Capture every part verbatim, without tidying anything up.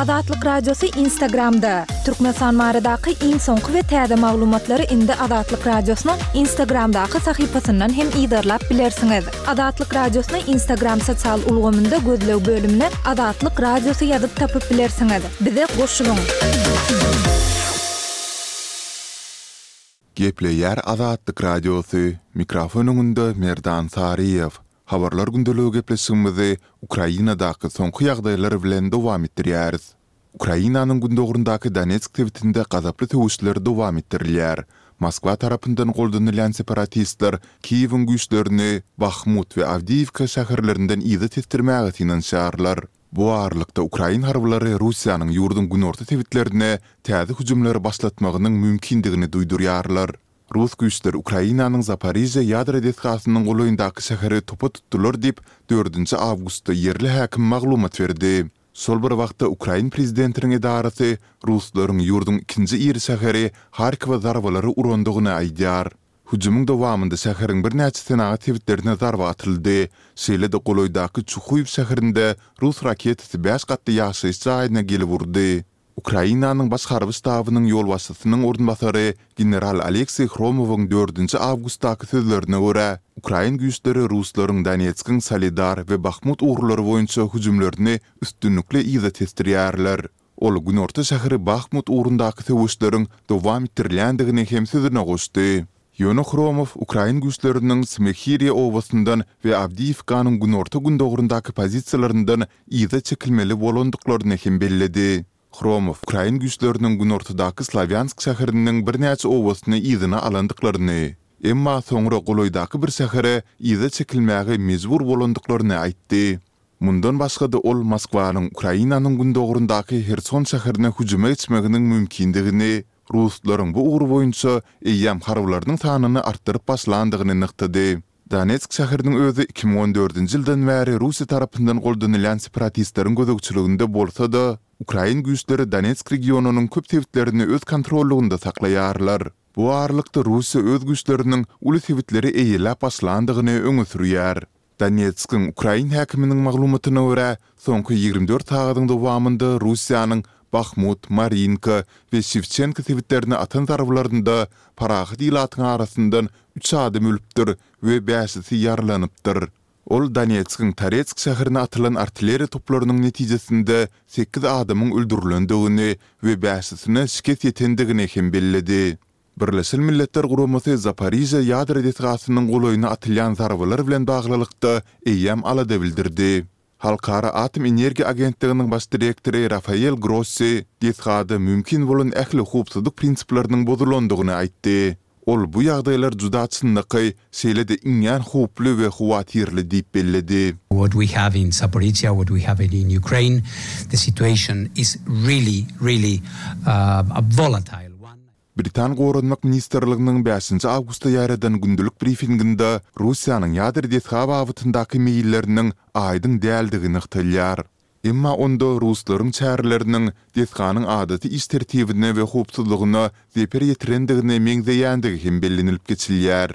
Azatlyk Radiosy Instagramda! Türkmenistan baradaky iň soňky we täze maglumatlary indi Azatlyk Radiosynyň Instagramdaky sahypasyndan hem yzarlap bilersiňiz. Azatlyk Radiosyny Instagram sosial ulgamynda gözleg bölümine Azatlyk Radiosy ýazyp tapyp bilersiňiz. Bize goşulyň! Gepleýär Azatlyk Radiosy, mikrofon öňünde Merdan Saryýew. Habarlar gündeligi gepleşigimizi Ukrainadaky soňky ýagdaýlar bilen dowam etdirýäris. Ukrainanyň gündogaryndaky Donetsk sebitinde gazaply söweşler dowam etdirilýär. Moskwa tarapyndan goldanylýan separatistler Kiýewiň güýçlerini Bahmut we Awdiýiwka şäherlerinden yza tesdirmäge synanyşýarlar. Bu aralykda, ukrain harbylary Russiýanyň ýurduň günorta sebitlerine täze hüjümleri başlatmagynyň mümkindigini duýdurýarlar. Rus güýçleri Ukrainanyň Zaporižýa ýadro desgasynyň golaýyndaky şäheri topa tutdular diýip, dördünji awgustda ýerli häkim maglumat berdi. Şol bir wagtda, ukrain prezidentiniň edarasy ruslaryň ýurduň ikinji iri şäheri Harkowa zarbalary urandygyny aýdýar. Hüjümiň dowamynda şäheriň birnäçe senagat sebitlerine zarba atyldy. Şeýle-de golaýdaky Çuhuýew şäherinde rus raketasy bäş gatly ýaşaýyş jaýyna gelip urdy. Ukrainanyň Baş harby ştabynyň ýolbaşçysynyň orunbasary general Oleksiý Hromowyň dördünji awgustdaky sözlerine görä, ukrain güýçleri ruslaryň Donetskiň Soledar we Bahmut ugurlary boýunça hüjümlerini üstünlikli yza tesdirýärler. Ol günorta şäheri Bahmut ugrundaky söweşleriň dowam etdirilýändigini hem sözüne goşdy. Ýöne Hromow ukrain güýçleriniň Smehiriýa obasyndan we Awdiýiwkanyň günorta-gündogaryndaky pozisiýalaryndan yza çekilmeli bolandyklaryny hem belledi. Hromow ukrain güýçleriniň günortadaky Slawýansk şäheriniň birnäçe obasyny yzyna alandyklaryny, emma soňra golaýdaky bir şähere yza çekilmäge mejbur bolandyklaryny aýtdy. Mundan başga-da ol Moskwanyň Ukrainanyň gündogaryndaky Herson şäherine hüjüme geçmeginiň mümkindigini, ruslaryň bu ugur boýunça eýýäm harbylarynyň sanyny artdyryp başlandygyny nygtady. Donetsk şäheriniň özi iki müň on dördünji ýyldan bäri Russiýa tarapyndan goldanylýan separatistleriň gözegçiliginde bolsa-da, ukrain güýçleri Donetsk regionynyň köp sebitlerini öz kontrollygynda saklaýarlar. Bu aralykda Russiýa öz güýçleriniň uly sebitleri eýeläp başlandygyny öňe sürýär. Donetskiň ukrain häkiminiň maglumatyna görä, soňky ýigrimi dört sagadyň dowamynda Russiýanyň Bahmut, Marinka we Şewçenko sebitlerine atan zarbalarynda parahat ilatyň arasyndan üç adam ölüpdir we bäşisi ýaralanypdyr. Ol Donetskiň Toretsk şäherine atylan artilleriýa toplarynyň netijesinde sekiz adamyň öldürilendigini we bäşisine şikes ýetendigini hem belledi. Birleşen Milletler Guramasy Zaporižýa ýadro desgasynyň golaýyna atylýan zarbalar bilen baglylykda eýýäm alada bildirdi. Halkara atom energiýa agentliginiň baş direktory Rafael Grossi desgada mümkin bolan ähli howpsuzlyk prinsipleriniň bozulandygyny aýtdy. Ol bu ýagdaýlar juda çynlakaý, şeýle-de iňňän howply we howatyrly diýip belledi. What we have in Zaporizhzhia, what we have in Ukraine, the situation is really, really a volatile one. Britan Goranmak ministrliginiň bäşinji awgustda ýaýradan gündelik brifinginde Russiýanyň ýadro desga babatyndaky meýilleriniň aýdyň däldigi nygtalýar. Emma onda ruslaryň çäreleriniň desganyň adaty iş tertibine we howpsuzlygyna zeper ýetirendigine meňzeýändigi hem bellenilip geçilýär.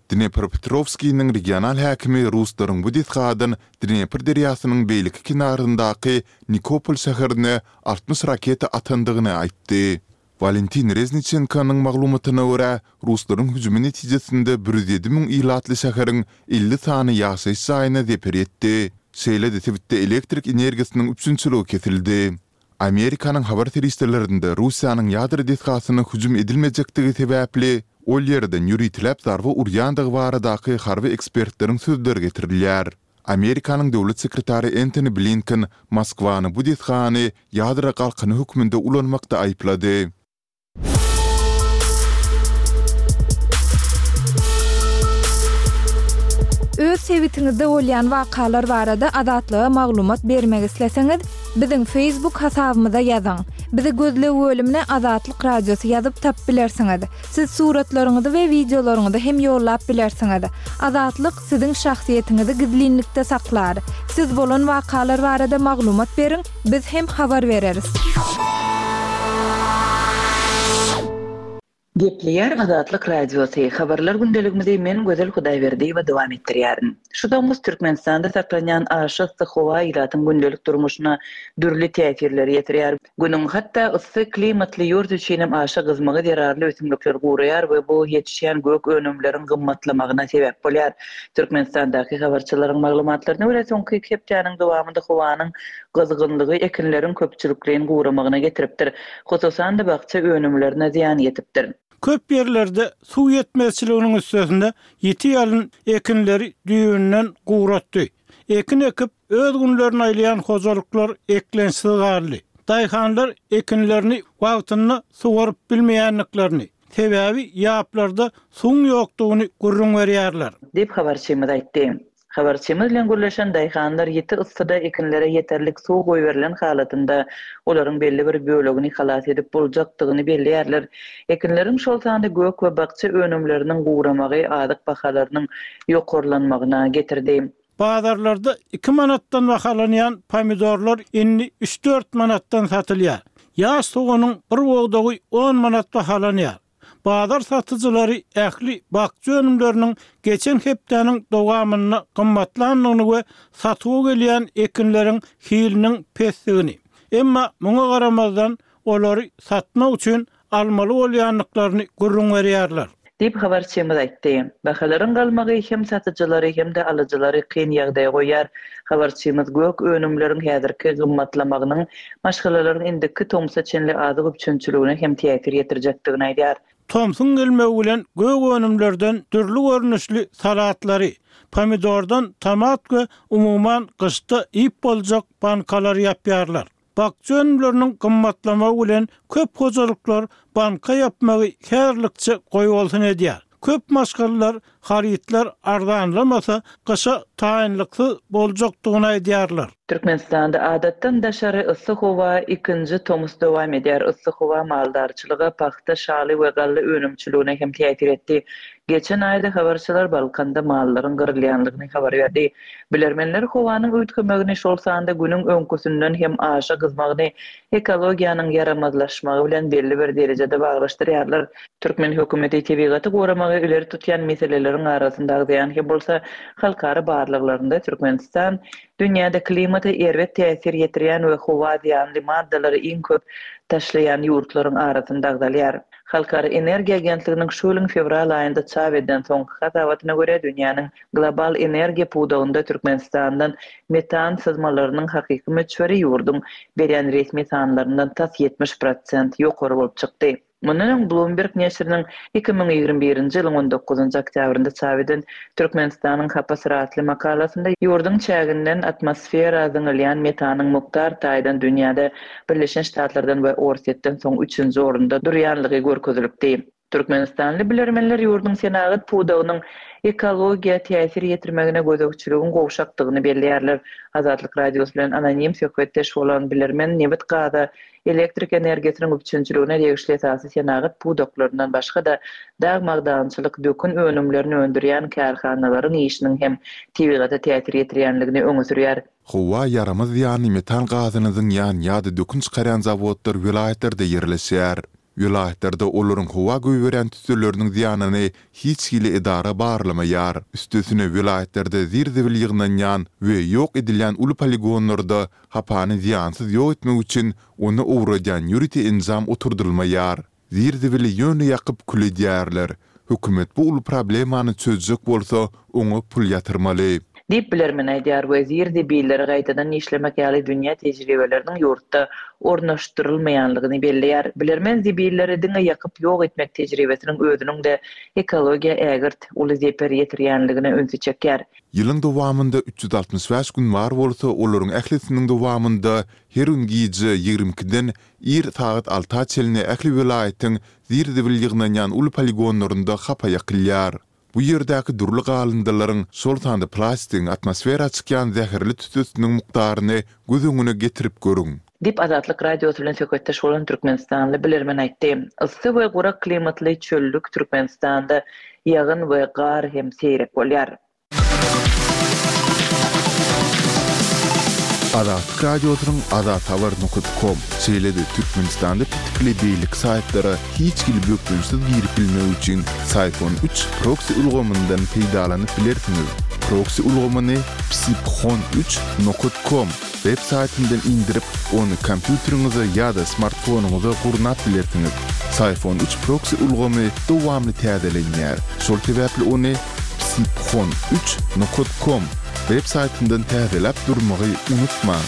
Dnepropetrowskiniň regional häkimi ruslaryň bu desgadan Dnepr derýasynyň beýleki kenaryndaky Nikopol şäherine altmyş raketa atandygyny aýtdy. Walentin Rezniçenkonyň maglumatyna görä, ruslaryň hüjümi netijesinde bir ýüz ýedi müň ilatly şäheriň elli sany ýaşaýyş jaýyna zeper ýetdi. Şeýle-de sebitde elektrik energiýasynyň üpjünçiligi kesildi. Amerikanyň habar serişdelerinde Russiýanyň ýadro desgasyna hüjüm edilmejekdigi sebäpli, ol ýerden ýöriteläp zarba urýandygy baradaky harby ekspertleriň sözleri getirilýär. Amerikanyň döwlet sekretary Entoni Blinken Moskwany bu desgany ýadro galkany hökmünde ulanmakda aýyplady. Öz sebitiňizde bolýan wakalar barada Azatlyga maglumat bermek isleseňiz, biziň Facebook hasabymyza ýazyň. Bizi gözleg bölümine Azatlyk Radiosy ýazyp tapyp bilersiňiz. Siz suratlaryňyzy we wideolaryňyzy hem ýollap bilersiňiz. Azatlyk siziň şahsyýetiňizi gizlinlikde saklar. Siz bolan wakalar barada maglumat beriň, biz hem habar bereris. Gepleýär Azatlyk Radiosy, Habarlar gündeligimizi men Gözel Hudaýberdiýewa dowam etdirýärin. Şu tomus Türkmenistanda saklanýan aşa yssy howa ilatyň gündelik durmuşyna dürli täsirleri ýetirýär. Günüň hatda yssy klimatly ýurt üçin hem aşa gyzmagy zerarly ösümlikler guraýar we bu ýetişýän gök önümleriň gymmatlamagyna sebäp bolýar. Türkmenistandaky habarçylaryň maglumatlaryna görä, soňky iki hepdäniň dowamynda howanyň gyzgynlygy ekinleriň köpçülikleýin guramagyna getiripdir. Hususan-da, bakja önümlerine zyýan ýetipdir. Köp ýerlerde suw ýetmezçiliginiň üstesine ýiti ýalyn ekinleri düýbünden guratdy. Ekin ekip, öz günlerini aýlaýan hojalyklar eklençsiz galdy. Daýhanlar ekinlerini wagtynda suwaryp bilmeýändiklerini, sebäbi ýaplarda suwuň ýokdugyny gürrüň berýärler. Diýip, habarçymyz aýtdy. Habarçymyz bilen gürleşen daýhanlar ýiti yssyda ekinlere ýeterlik suw goýberilen halatynda olaryň belli bir bölegini halas edip boljakdygyny belleýärler. Ekinleriň, şol sanda gök we bakja önümleriniň guramagy azyk bahalarynyň ýokarlanmagyna getirdi. Bazarlarda iki manatdan bahalanýan pomidorlar indi üç-dört manatdan satylýar. Ýaş soganyň bir bogdagy on manat bahalanýar. Bazar satyjylary ähli bakja önümleriniň geçen hepdäniň dowamynda gymmatlandygyny we satuwa gelýän ekinleriň hiliniň pesdigini, emma muňa garamazdan olary satmak üçin almaly bolýandyklaryny gürrüň berýärler. Diýip, habarçymyz aýtdy. Bahalaryň galmagy hem satyjylary, hem-de alyjylary kyn ýagdaýa goýýar. Habarçymyz gök önümleriň häzirki gymmatlamagynyň maşgalalaryň indiki tomsa çenli azyk üpjünçiligine hem täsir ýetirjekdigini aýdýar. Tomsuň gelmegi bilen gök önümlerden dürli görnüşli salatlary, pomidordan tomat we umuman gyşda iýip boljak bankalary ýapýarlar. Bakja önümleriniň gymmatlamagy bilen köp hojalyklar banka ýapmagy häzirlikçe goýbolsun edýär. Köp maşgalalar harytlar arzanlamasa gyşa taýynlyksyz boljakdygyny aýdýarlar. Türkmenistanda adatdan daşary yssy howa ikinji tomus dowam edýär. Yssy howa maldarçylyga, pagta, şaly we galla önümçiligine hem täsir etdi. Geçen aýda habarçylar Balkanda mallaryň gyrylýanlygyny habar berdi. Bilermenler howanyň üýtgemegini, şol sanda günüň öňküsinden hem aşa gyzmagyny ekologiýanyň ýaramazlaşmagy bilen belli bir derejede baglaşdyrýarlar. Türkmen hökümeti tebigaty goramagy ileri tutýan meseleleriň arasynda agzaýan hem bolsa, halkara barlaglarynda Türkmenistan dünýäde klimata erbet täsir ýetirýän we howa zyýanly maddalary iň köp taşlaýan ýurtlaryň arasynda agzalýar. Halkara energiýa agentliginiň şu ýylyň fewral aýynda çap eden soňky hasabatyna görä, dünýäniň global energiýa pudagynda Türkmenistandan metan syzmalarynyň hakyky möçberi ýurduň berýän resmi sanlaryndan tas ýetmiş prosent ýokary bolup çykdy. Mundan öň Bloomberg neşiriniň iki müň ýigrimi birinji ýylyň on dokuzynjy oktýabrynda çap eden Türkmenistanyň hapasy atly makalasynda ýurduň çäginden atmosfera zyňylýan metanyň mukdar taýdan dünýäde Birleşen Ştatlardan we Orsýetden soň üçünji orunda durýanlygy görkezilipdi. Türkmenistanly bilermenler ýurduň senagat pudagynyň ekologiýa täsir ýetirmegine gözegçiligiň gowşakdygyny belleýärler. Azatlyk Radiosy bilen anonim söhbetdeş bolan bilermen nebit-gaza, elektrik energiýasynyň üpjünçiligine degişli esasy senagat pudaklaryndan başga-da dag-magdançylyk, dökün önümlerini öndürýän kärhanalaryň işiniň hem tebigata täsir ýetirýänligini öňe sürýär. Howa ýaramaz zyýanly metan gazyny zyňýan ýa-da dökün çykarýan zawodlar welaýatlarda ýerleşýär. Welaýatlarda olaryň howa goýberýän tüsseleriniň zyýanyny hiç hili edara barlamaýar. Üstesine welaýatlarda zir-zibil ýygnanýan we ýok edilýän uly poligonlarda hapany zyýansyz ýok etmek üçin ony owradýan ýörite enjam oturdylmaýar. Zir-zibili ýöne ýakyp kül edýärler. Hökümet bu uly problemany çözjek bolsa, oňa pul ýatyrmaly. Diýip bilermen aýdýar we zir-zibilleri gaýtadan işlemek ýaly dünýä tejribeleriniň ýurtda ornaşdyrylmaýanlygyny belleýär. Bilermen zibilleri diňe ýakyp ýok etmek tejribesiniň özüniň-de ekologiýa ägirt uly zeper ýetirýänligine ünsi çekýär. Ýylyň dowamynda üç ýüz altmyş bäş gün bar bolsa, olaryň ählisiniň dowamynda her gün gije ýigrimi ikiden ir sagat alta çenli ähli welaýatyň zir-zibil ýygnanýan uly poligonlarynda hapa ýakylýar. Bu ýerdäki dürli galyndylaryň, şol sanda plastigiň atmosfera çykýan zäherli tüssesiniň mukdaryny göz öňüne getirip görüň. Diýip, Azatlyk Radiosy bilen söhbetdeş bolan türkmenistanly bilermen aýtdy. Yssy we gurak klimatly çöllük Türkmenistanda ýagyn we gar hem seýrek bolýar. Azatlyk Radiosynyň azathabar nokat kom, şeýle-de Türkmenistanda petikli beýleki saýtlara hiç hili bökdençsiz girip bilmek üçin Syphon üç proksi ulgamyndan peýdalanyp bilersiňiz. Proksi ulgamyny psiphon üç nokat kom web saýtyndan indirip, ony kompýuteriňize ýa-da smartfonyňyza gurnap bilersiňiz. Syphon üç proksi ulgamy dowamly täzelenýär, şol sebäpli ony psiphon üç nokat kom web saýtyndan täzeläp durmagy unutmaň.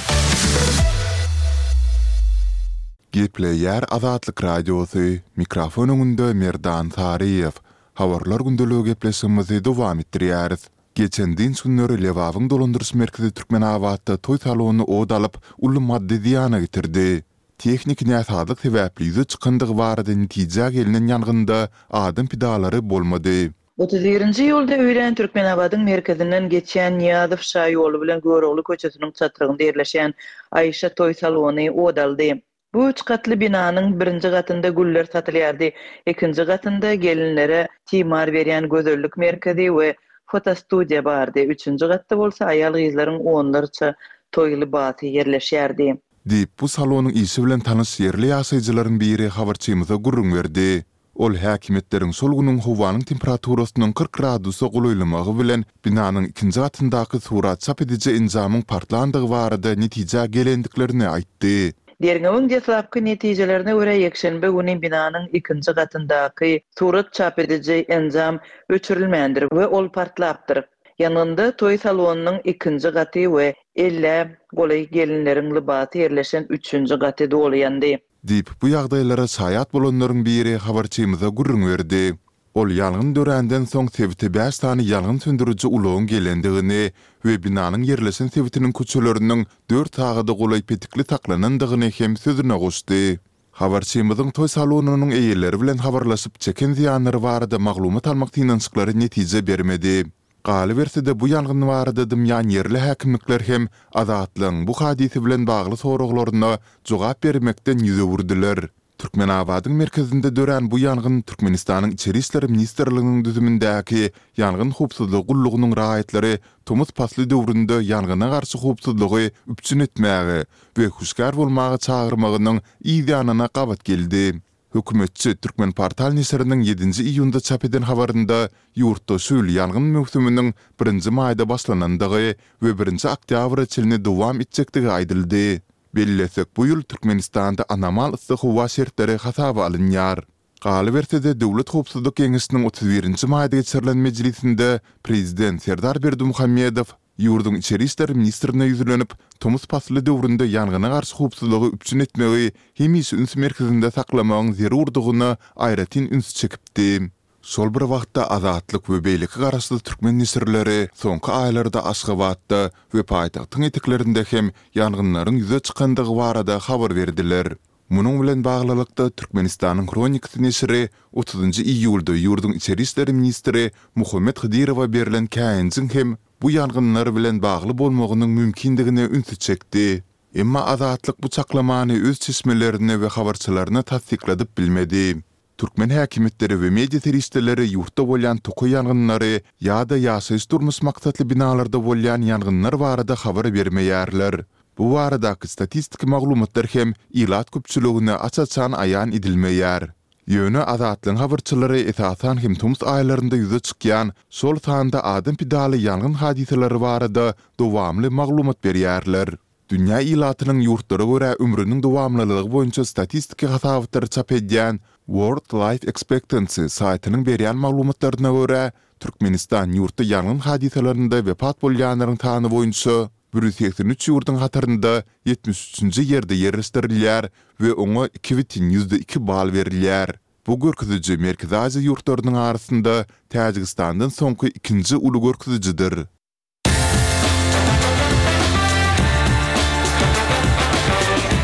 Gepleýär Azatlyk Radiosy, mikrofon öňünde Merdan Saryýew. Habarlar gündeligi gepleşigimizi dowam etdirýäris. Geçen dynç günleri Lebabyň dolandyryş merkezi Türkmenabatda toý salony ot alyp, uly maddy zyýana getirdi. Tehniki näsazlyk sebäpli ýüze çykandygy barada netijä gelnen ýangynda adam pidalary bolmady. Otuz birinji iýulda öýlän Türkmenabadyň merkezinden geçýän Nyýazow şaýoly bilen Görogly köçesiniň çatrygynda ýerleşýän Aýşa toý salony ot aldy. Bu üç gatly binanyň birinji gatynda güller satylýardy, ikinji gatynda gelinlere timar berýän gözellik merkezi we fotostudiýa bardy, üçünji gatda bolsa aýal-gyzlaryň onlarça toý lybasy ýerleşýärdi. Diýip, bu salonyň işi bilen tanyş ýerli ýaşaýjylaryň biri habarçymyza gürrüň berdi. Ol häkimiýetleriň şol günüň howanyň temperaturasynyň kyrk gradusa golaýlamagy bilen binanyň ikinji gatyndaky surat çap ediji enjamyň partlandygy barada netijä gelendiklerini aýtdy. Derňewiň deslapky netijelerine görä, ýekşenbe güni binanyň ikinji gatyndaky surat çap ediji enjam öçürilmändir we ol partlapdyr. Ýangynda toý salonynyň ikinji gaty we ellä golaý gelinleriň lybasy ýerleşen üçünji gaty doly ýandy. Diýip, bu ýagdaýlara şaýat bolanlaryň biri habarçymyza gürrüň berdi. Ol ýangyn döränden soň sebite bäş sany ýangyn söndüriji ulagyň gelendigini we binanyň ýerleşen sebitiniň köçeleriniň dört sagada golaý petikli saklanandygyny hem sözüne goşdy. Habarçymyzyň toý salonynyň eýeleri bilen habarlaşyp, çeken zyýanlary barada maglumat almak synanyşyklary netije bermedi. Galyberse-de, bu ýangyn barada dymýan ýerli häkimlikler hem Azatlygyň bu hadysa bilen bagly soraglaryna jogap bermekden ýüz öwürdiler. Türkmenabadyň merkezinde dörän bu ýangyn Türkmenistanyň Içeri işler ministrliginiň düzümindäki Ýangyn howpsuzlygy gullugynyň raýatlary tomus pasly döwründe ýangyna garşy howpsuzlygy üpjün etmäge we hüşgär bolmaga çagyrmagynyň yz ýanyna gabat geldi. Hökümetçi Türkmenportal neşiriniň ýedinji iýunda çap eden habarynda ýurtda şu ýyl ýangyn möwsüminiň birinji maýda başlanandygy we birinji oktýabra çenli dowam etjekdigi aýdyldy. Bellesek, bu ýyl Türkmenistanda anomal yssy howa şertleri hasaba alynýar. Galyberse-de, Döwlet howpsuzlyk geňeşiniň otuz birinji maýda geçirilen mejlisinde prezident Serdar Berdimuhamedow ýurduň içeri işler ministrine ýüzlenip, tomus pasly döwründe ýangyna garşy howpsuzlygy üpjün etmegi hemişe üns merkezinde saklamagyň zerurdygyna aýratyn üns çekipdi. Şol bir wagtda Azatlyk we beýleki garaşsyz türkmen neşirleri soňky aýlarda Aşgabatda we paýtagtyň eteklerinde hem ýangynlaryň ýüze çykandygy barada habar berdiler. Munuň bilen baglylykda, Türkmenistanyň Hronikasy neşiri otuzynjy iýulda ýurduň içeri işler ministri Muhammet Hydyrowa berlen käýinjiň hem bu ýangynlar bilen bagly bolmagynyň mümkindigine ünsi çekdi. Emma Azatlyk bu çaklamany öz çeşmelerine we habarçylaryna tassykladyp bilmedi. Türkmen häkimiýetleri we media serişdeleri ýurtda bolýan tokaý ýangynlary ýa-da ýaşaýyş-durmuş maksatly binalarda bolýan ýangynlar barada habar bermeýärler. Bu baradaky statistiki maglumatlar hem ilat köpçüligine aç-açan aýan edilmeýär. Ýöne Azatlygyň habarçylary esasan hem tomus aýlarynda ýüze çykýan, şol sanda adam pidaly ýangyn hadysalary barada dowamly maglumat berýärler. Dünýä ilatynyň ýurtlara görä ömrüniň dowamlylygy boýunça statistiki hasabatlary çap edýän World Life Expectancy saýtynyň berýän maglumatlaryna görä, Türkmenistan ýurtda ýangyn hadysalarynda wepat bolýanlaryň sany boýunça bir ýüz segsen üç ýurduň hatarynda ýetmiş üçünji ýerde ýerleşdirilýär we oňa iki bütin ýüzde iki bal berilýär. Bu görkeziji Merkezi Aziýa ýurtlarynyň arasynda Täjigistandan soňky ikinji uly görkezijidir.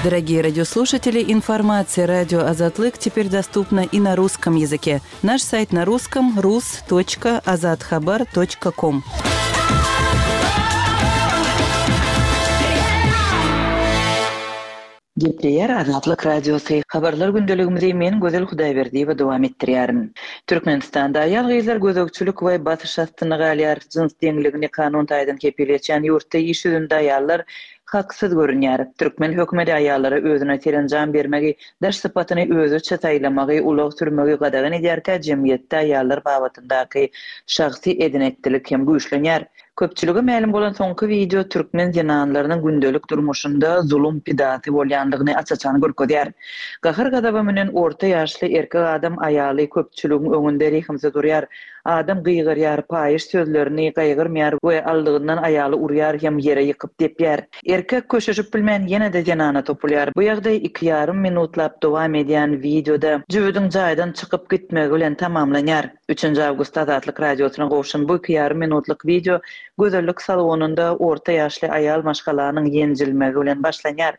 Дорогие радиослушатели, информация радио Азатлык теперь доступна и на русском языке. Наш сайт на русском rus точка azathabar точка ком. Gepleýär Azatlyk Radiosy. Habarlar gündeligimizi men Gözel Hudaýberdiýewa dowam etdirýärin. Türkmenistanda aýal-gyzlar gözegçilik we basyş astynda galýar. Jyns deňligini kanun taýdan kepil geçýän ýurtda iş ýüzünde aýallar Haksyz görünýär. Türkmen hökümeti aýallara özüne serenjam bermegi, daş sypatyny özüçe saýlamagy, ulag sürmegi gadagan edýärkä jemgyýetde aýallar babatyndaky şahsy eden-etdilik hem güýçlenýär. Köpçülige mälim bolan soňky wideo türkmen zenanlarynyň gündelik durmuşynda zulum pidasy bolýandygyny aç-açan görkezýär. Gahar-gazaba münen orta ýaşly erkek adam aýaly köpçüligiň öňünde rehimsiz urýar. Adam gygyrýar, paýyş sözlerini gaýgyrmaýar we aldygyndan aýaly urýar hem ýere ýykyp depýär. Erkek köşeşip bilmän ýene-de zenana topulýar. Bu ýagdaý iki ýarym minutlap dowam edýän wideoda jübüdiň jaýdan çykyp gitmegi bilen tamamlanýar. Üçünji awgustda Azatlyk Radiosyna gowşan bu iki ýarym minutlyk wideo gözellik salonynda orta ýaşly aýal maşgalanyň ýenjilmegi bilen başlanýar.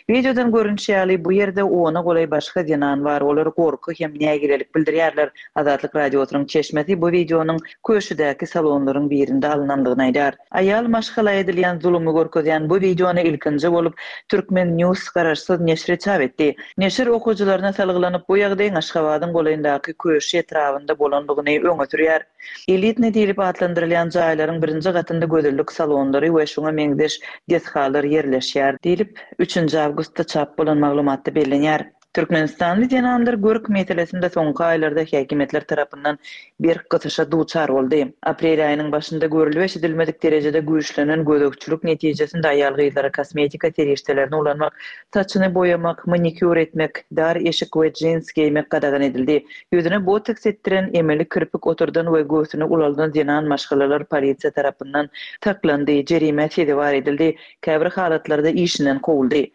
Wideodan görnüşi ýaly, bu ýerde ona golaý başga zenan bar, olar gorky hem nägilelik bildirýärler. Azatlyk Radiosynyň çeşmesi bu wideonyň Köşüdäki salonlaryň birinde alnandygyny aýdýar. Aýal maşgala edilýän zulumy görkezýän bu wideony ilkinji bolup Turkmen News garaşsyz neşiri çap etdi. Neşir okyjylaryna salgylanyp, bu ýagdaýyň Aşgabadyň golaýyndaky Köşi etrabynda bolandygyny öňe sürýär. Elitny diýlip atlandyrylýan jaýlaryň birinji gatynda gözellik salonlary we şuňa meňzeş desgalar ýerleşýär diýlip, üçünji awgustda çap bolan maglumatda bellenýär. Türkmenistanly zenanlar görk meselesinde soňky aýlarda häkimiýetler tarapyndan berk gysyşa duçar boldy. Aprel aýynyň başynda görülip-eşidilmedik derejede güýçlenen gözegçilik netijesinde aýal-gyzlara kosmetika serişdelerini ulanmak, saçyny boýamak, manikýur etmek, dar eşik we jins geýmek gadagan edildi. Ýüzüne botoks etdiren, emeli kirpik oturdan we göwsüni ulaldan zenan maşgalalar polisiýa tarapyndan saklandy, jerimä sezewar edildi, käbir halatlarda işinden kowuldy.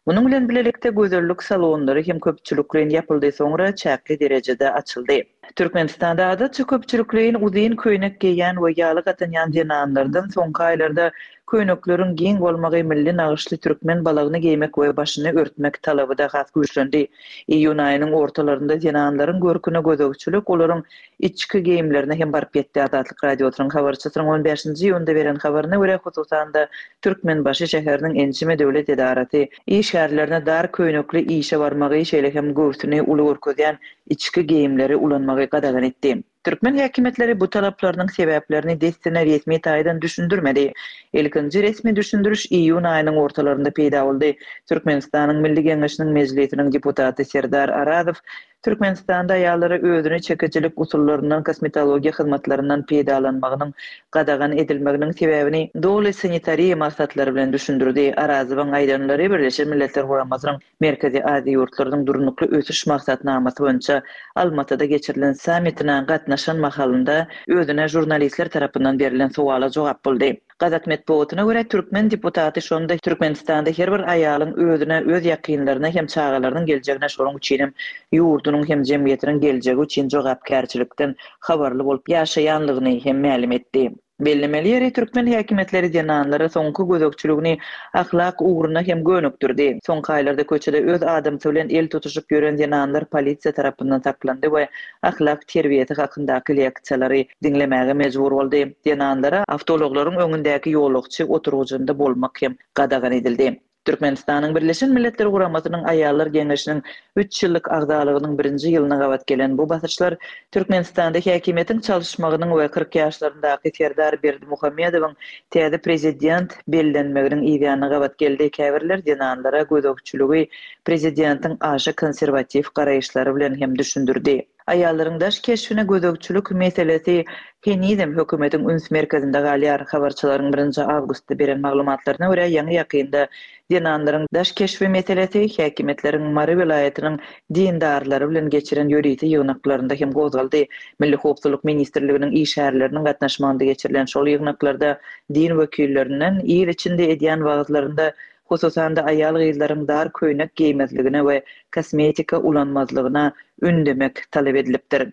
Munuň bilen bilelikde gözellik salonlary hem köpçülikleýin ýapyldy, soňra çäkli derejede açyldy. Türkmenistanda adatça köpçülikleýin uzyn köýnek geýýän we ýaglyk atynýan zenanlardan soňky aýlarda köýnekleriň giň bolmagy, milli nagyşly türkmen balagyny geýmek we başyny örtmek talaby-da has güýçlendi. Iýun aýynyň ortalarynda zenanlaryň görküne gözegçilik olaryň içki geýimlerine hem baryp ýetdi. Azatlyk Radiosynyň habarçysynyň on bäşinji iýunda beren habaryna görä, hususan-da, Türkmenbaşy şäheriniň ençeme döwlet edarasy işgärlerine dar köýnekli işe barmagy, şeýle hem göwsüni uly görkezýän içki geýimleri ulanmagy gadagan etdi. Türkmen häkimiýetleri bu talaplarynyň sebäplerini dessine resmi taýdan düşündirmedi. Ilkinji resmi düşündiriş iýun aýynyň ortalarynda peýda boldy. Türkmenistanyň Milli Geňeşiniň Mejlisiniň deputaty Serdar Arazow Türkmenistanda aýallara özüne çekijilik usullaryndan, kosmetologiýa hyzmatlaryndan peýdalanmagynyň gadagan edilmeginiň sebäbini doly sanitariýa maksatlary bilen düşündirdi. Arazowyň aýdanlary Birleşen Milletler Guramasynyň Merkezi Aziýa ýurtlarynyň durnukly ösüş maksatnamasy boýunça Almatyda geçirilen sammitine gatnaşan mahalynda özüne žurnalistler tarapyndan berlen sowala jogap boldy. Gazak metbugatyna görä, türkmen deputaty şonda Türkmenistanda her bir aýalyň özüne, öz ýakynlaryna hem çagalarynyň geljegine, şonuň üçin hem ýurdunyň hem jemgyýetiniň geljegi üçin jogapkärçilikden habarly bolup ýaşaýanlygyny hem mälim etdi. Bellemeli ýeri, türkmen häkimiýetleri zenanlara soňky gözegçiligini ahlak ugruna hem gönükdirdi. Soňky aýlarda köçede öz adamsy bilen el tutuşyp ýören zenanlar polisiýa tarapyndan saklandy we ahlak terbiýesi hakyndaky leksiýalary diňlemäge mejbur boldy. Zenanlara awtoulaglaryň öňündäki ýolagçy oturgyjynda bolmak hem gadagan edildi. Türkmenistanyň Birleşen Milletler Guramasynyň Aýallar Geňeşiniň üç ýyllyk agzalygynyň birinji ýylyna gabat gelen bu basyşlar Türkmenistanda häkimiýetiň çalyşmagynyň we kyrk ýaşlaryndaky Serdar Berdimuhamedowyň täze prezident bellenmeginiň yzýanyna gabat geldi. Käbirler zenanlara gözegçiligi prezidentiň aşa konserwatiw garaýyşlary bilen hem düşündirdi. Aýallaryň daş keşbine gözegçilik meselesi henizem hökümetiň üns merkezinde galýar. Habarçylaryň birinji awgustda beren maglumatlaryna görä, ýaňy-ýakynda zenanlaryň daş keşbi meselesi häkimiýetleriň Mary welaýatynyň dindarlary bilen geçiren ýörite ýygnaklarynda hem gozgaldy. Milli howpsuzlyk ministrliginiň işgärleriniň gatnaşmagynda geçirilen şol ýygnaklarda din wekillerinden il içinde edýän wagyzlarynda hususan-da aýal-gyzlaryň dar köýnek geýmezligine we kosmetika ulanmazlygyna ündemek talap edilipdir.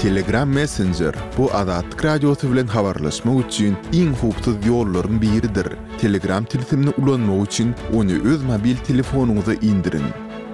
Telegram Messenger bu Azatlyk Radiosy bilen habarlaşmak üçin iň howpsuz ýollaryň biridir. Telegram tilsimini ulanmak üçin ony öz mobil telefonyňyza indiriň.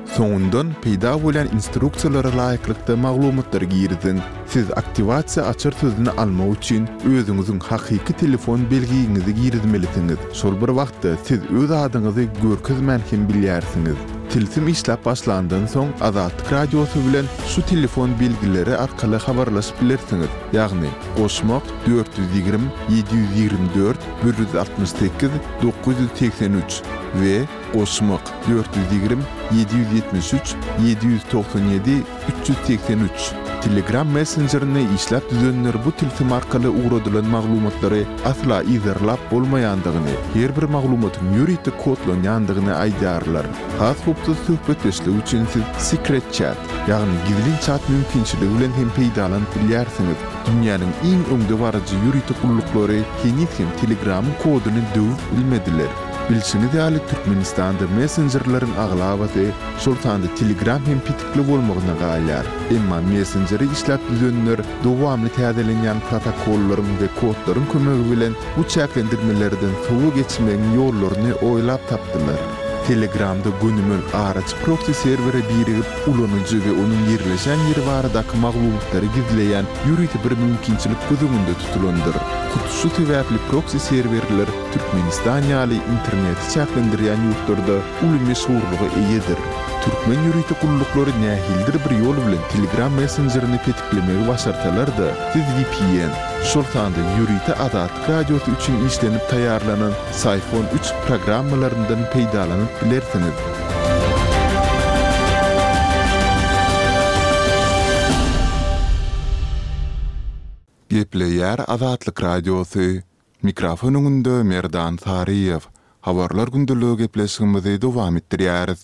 Soňundan peýda bolýan instruksiýalara laýyklykda maglumatlary giriziň. Siz aktiwasiýa açar sözüni almak üçin özüňiziň hakyky telefon belgiňizi girizmelisiňiz. Şol bir wagtda siz öz adyňyzy görkezmän hem bilýärsiňiz. Tilsim işläp başlandan soň Azatlyk Radiosy bilen şu telefon belgileri arkaly habarlaşyp bilersiňiz, ýagny, goşmak, dört ýüz ýigrimi, ýedi ýüz ýigrimi dört, bir ýüz altmyş sekiz, dokuz ýüz segsen üç we goşmak, dört ýüz ýigrimi, ýedi ýüz ýetmiş üç, ýedi ýüz togsan ýedi, üç ýüz segsen üç. Telegram messenjerini işläp düzenler bu tilsim arkaly ugradylan maglumatlary asla yzarlap bolmaýandygyny, her bir maglumatyň ýörite kodlanýandygyny aýdýarlar. Has howpsuz söhbetdeşlik üçin siz Secret Chat, ýagny gizlin çat mümkinçiligi bilen hem peýdalanyp bilýärsiňiz. Dünýäniň iň öňdebaryjy ýörite gulluklary heniz hem Telegramyň koduny döwüp bilmediler. Bilşiňiz ýaly, Türkmenistanda messenjerleriň aglabasy, şol sanda Telegram hem petikli bolmagyna galýar. Emma messenjeri işläp düzenler dowamly täzelenýän protokollaryň we kodlaryň kömegi bilen bu çäklendirmelerden sowa geçmegiň ýollaryny oýlap tapdylar. Telegramda gönümel araçy proksi serwere birigip, ulanyjy we onuň ýerleşen ýeri baradaky maglumatlary gizleýän ýörite bir mümkinçilik göz öňünde tutulandyr. Hut şu sebäpli proksi serwerler Türkmenistan ýaly interneti çäklendirýän ýurtlarda uly meşhurlyga eýedir. Türkmen ýörite gulluklary nähilidir bir ýol bilen Telegram messenjerini petiklemegi başarsalar-da, siz V P N, şol sanda ýörite Azatlyk Radiosy üçin işlenip taýýarlanan Psiphon üç programmalaryndan peýdalanyp bilersiňiz. Gepleýär Azatlyk Radiosy. Mikrofon öňünde Merdan Saryýew. Habarlar gündeligi gepleşigimizi dowam etdirýäris.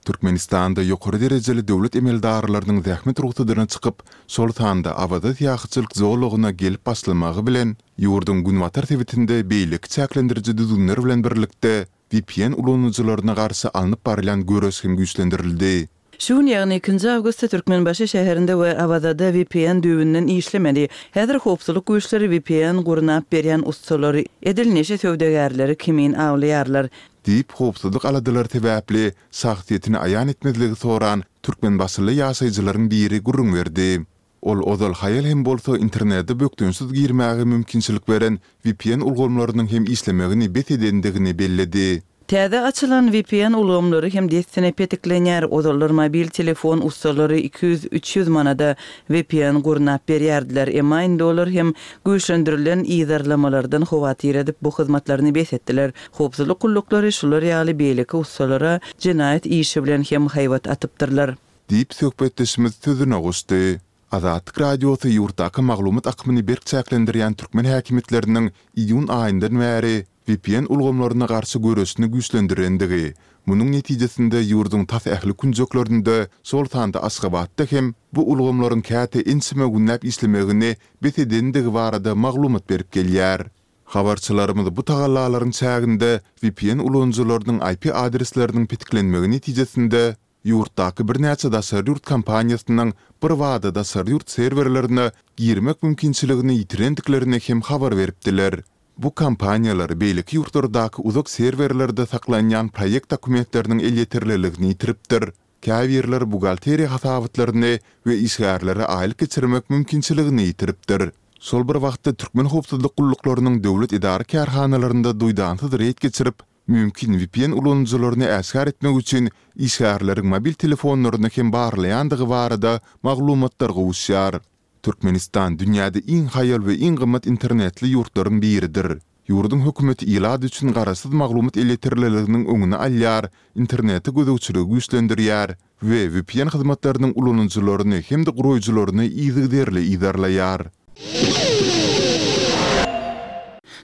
Türkmenistanda ýokary derejeli döwlet emeldarlarynyň zähmet rugsadyna çykyp, şol sanda Awaza syýahatçylyk zolagyna gelip başlamagy bilen, ýurduň günbatar sebitinde beýleki çäklendiriji düzgünler bilen birlikde V P N ulanyjylaryna garşy alnyp barylýan göreş hem güýçlendirildi. Şu gün ýagny ikinji awgustda Türkmenbaşy şäherinde we Awazada V P N düýbünden işlemedi. Häzir howpsuzlyk güýçleri V P N gurnap berýän ussalary edil neşe söwdagärleri kimin awlaýarlar. Diýip, howpsuzlyk aladalary sebäpli şahsyýetini aýan etmezligi soran türkmenbaşyly ýaşaýjylaryň biri gürrüň berdi. Ol ozal haýal hem bolsa internete bökdençsiz girmäge mümkinçilik beren V P N ulgamlarynyň hem işlemegini bes edendigini belledi. Täze açylan V P N ulgamlary hem dessine petiklenýär. Ozallar mobil telefon ussalary iki ýüz-üç ýüz manada V P N gurnap berýärdiler. Emma indi olar hem güýçlendirilen yzarlamalardan howatyr edip bu hyzmatlaryny bes etdiler. Howpsuzlyk gulluklary şular ýaly beýleki ussalara jenaýat işi bilen hem haýbat atypdyrlar. Diýip söhbetdeşimiz sözüne goşdy. Azatlyk Radiosy ýurtdaky maglumat akymyny berk çäklendirýän türkmen häkimiýetleriniň iýun aýyndan bäri V P N ulgamlaryna garşy göreşini güýçlendirendigi, munuň netijesinde ýurduň tas ähli künjeklerinde, şol sanda Aşgabatda hem bu ulgamlaryň käte ençeme günläp işlemegini bes edendigi barada maglumat berip gelýär. Habarçylarymyz bu tagallalaryň çäginde V P N ulanyjylarynyň I P adresleriniň petiklenmegi netijesinde ýurtdaky birnäçe daşary ýurt kompaniýasynyň birbada daşary ýurt serwerlerine girmek mümkinçiligini ýitirendiklerini hem habar beripdiler. Bu kompaniýalar beýleki ýurtlardaky uzak serwerlerde saklanýan proýekt dokumentleriniň elýeterliligini ýitiripdir. Käbirleri buhgalteriýa hasabatlaryny we işgärlere aýlyk geçirmek mümkinçiligini ýitiripdir. Şol bir wagtda türkmen howpsuzlyk gulluklarynyň döwlet edara kärhanalarynda duýdansyz reýd geçirip, mümkin V P N ulanyjylaryny äşgär etmek üçin işgärleriň mobil telefonlaryny hem barlaýandygy barada maglumatlar gowuşýar. Türkmenistan dünýäde iň haýal we iň gymmat internetli ýurtlaryň biridir. Ýurduň hökümeti ilat üçin garaşsyz maglumat elýeterliliginiň öňüni alýar, internete gözegçiligi güýçlendirýär we V P N hyzmatlarynyň ulanyjylaryny hem-de guraýjylaryny yzygiderli yzarlaýar.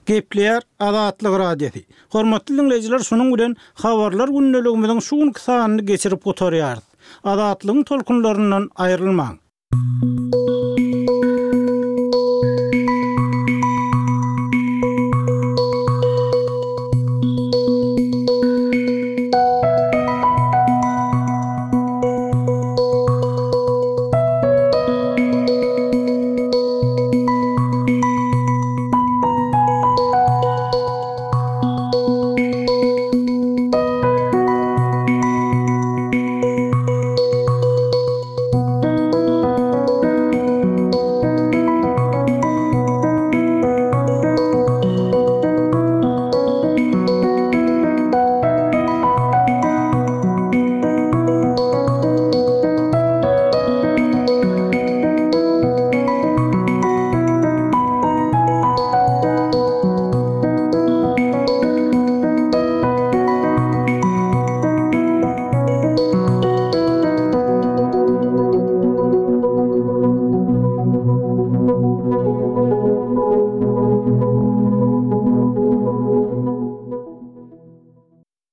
Gepleýär Azatlyk Radiosy. Hormatly dinleýjiler, şunuň bilen habarlar gündeligimiziň şu günki sanyny geçirip gutarýarys. Azatlygyň tolkunlaryndan aýrylmaň.